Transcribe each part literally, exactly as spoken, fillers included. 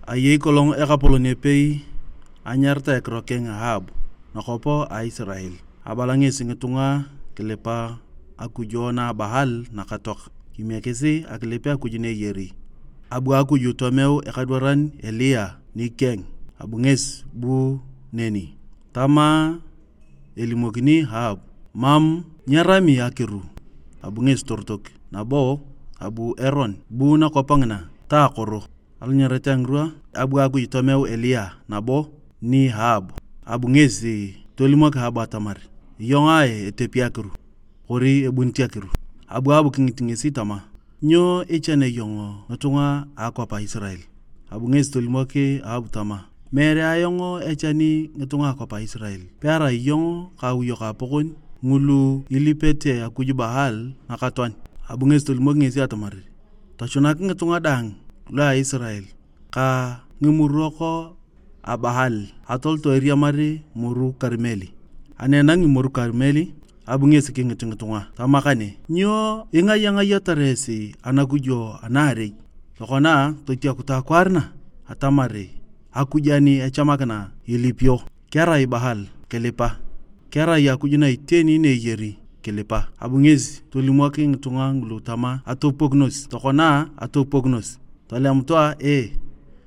Ayei kolong ekapolon epei anyaritae ekiro keng Ahab nakwap a Isirael. Abala ngesi ngitunga kilipa akujo na a Baal nakatoak, kimiekisi akilip akuj na eyari. Abu akuj tomeu ekadwaran Eliya nikeng, abu ngesi bu neni. Tama elimokini Ahab, mam nyerami akiru, abu ngesi torotok, nabo abu eron bu nakwap ngina ta akoro. Alanyarete a ngirwa, abu akuj tomeu Eliya nabo ni Ahab, abu ngesi tolimok Ahab atamar, iyong ae etepi akiru, kori ebunit akiru? Abu Ahab kingit ngesi tama, nyo ichane iyong ngitunga a akwap a Isirael? Abu ngesi tolimok Ahab tama, meere ayong echani ngitunga a akwap a Isirael, pearai iyong ka awiyok apokon ngulu ilipete akuj Baal nakatoan. Abu ngesi tolimok ngesi atamar, tochunak ngitunga daang lua Isirael ka ngimurok a Baal atoloto eriamar moru Karmeli. Ani enangi moru Karmeli, abu ngesi kingit ngitunga tama kane, nyo ingayangayatar esi anakujo anaarei? Tokona totiakutu akwaar na atamar akuj ani echamakina ilipio, kerai Baal kilipa, kerai akuj na iteni na eyari kilipa. Abu ngesi tolimok ngitunga ngulu tama, atopupokinos, tokona atopupokinos. Tolemutu a ee,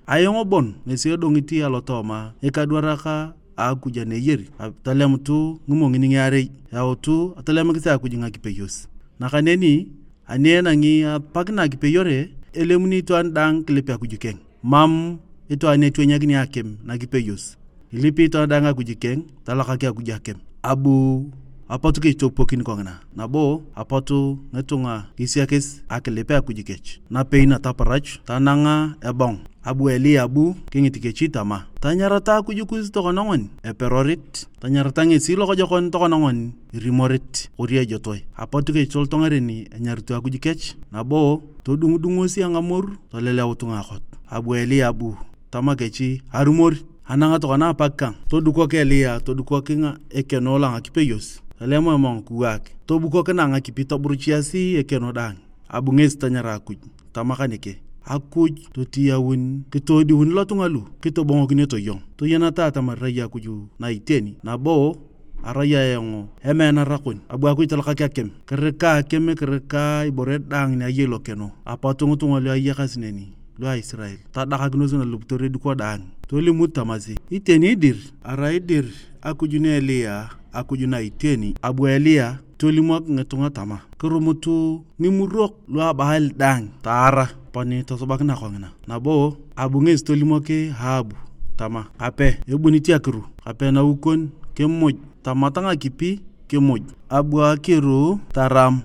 ayong bon ngesi edongit alotooma ngikadwarak a Akuj aneyeri. Tolemutu ngimongin ngiarei, yautu atolemikis Akuj ngakipeyos. Nakaneni ani enangi apak na kipeyore, elemuni itwaan daang kilip Akuj keng. Mam itwaan etwenyakini akim nakipeyos. Ilipi itwaan daang Akuj keng, talakak Akuj akim. Abu apot kechitopokin kongina, nabo apot ngitunga kisiakis akilip Akuj kech. Napei nataparach tananga ebong. Abu Eliya abu kingit kechi tama, tanyarata Akuj kus tokona ngoni eperorit, tanyarata ngesi lokojokon tokona ngoni irimorit kori ejotoe. Apot kech tolot ngaren enyarito Akuj kech, nabo todungudungosi angamoru toleleut ngakot. Abu Eliya abu tama kechi arumor. Anang tokona apak kang, todukok Eliya, todukok ekeno lo ngakipeyos, tolem emong kiwaak, tobukokina ngakipi toburuchiasi ekeno daang. Abu ngesi tanyara Akuj, tama kaneke, Akuj totiyaun kitodiun lotunga lu kitobongokinete iyong. Toyeneta atamar irai Akuj na iteni, nabo arai ayong emeanara kon. Abu Akuj talakak akim, kirika akim, kirika ibore daang ni ayei lokeno. Apot ngitunga lu ayakasi neni, lua Isirael, tadakakinos nalupitor ediko daang. Tolimut tamasi, iteni dir, arai dir Akuj na Eliya, Akuj na iteni. Abu Eliya tolimok ngitunga tama, kirumutu ngimurok lua Baal daang taara, aponi tosubakina kongina. Nabo abu ngesi tolimok Ahabu tama, kape ebunit akiru, kape naukon kimuj, tamat ngakipi kimuj. Abu akiru taram.